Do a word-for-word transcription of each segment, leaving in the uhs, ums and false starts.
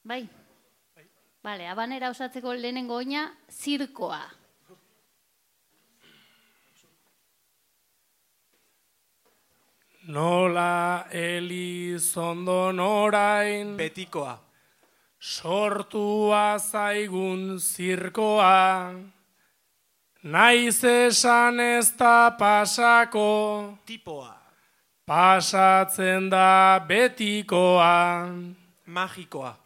Bai? Bale, habanera osatzeko lehenengo oina, zirkoa. Nola Elizondon orain Betikoa. sortua zaigun zirkoa, naiz esan ez da pasako, Tipoa. pasatzen da betikoa, Magikoa.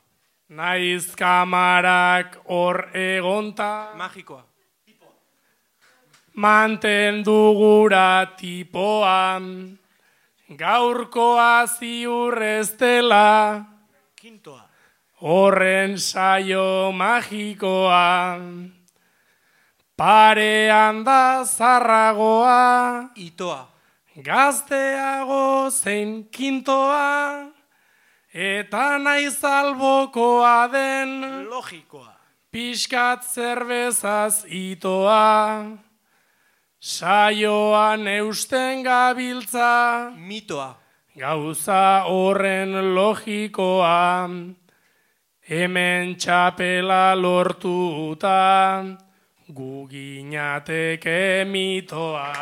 naiz kamarak hor egonta, Magikoa. mantendu gura tipoa, gaurkoa ziur ez dela, Kintoa. horren saio magikoa, parean da zarragoa, Itoa. gazteago zein kintoa, eta naiz albokoa den, Logikoa. pixkat zerbezaz itoa, saioan eusten gabiltza, Mitoa. gauza horren logikoa, hemen txapela lortuta, gu ginateke mitoa.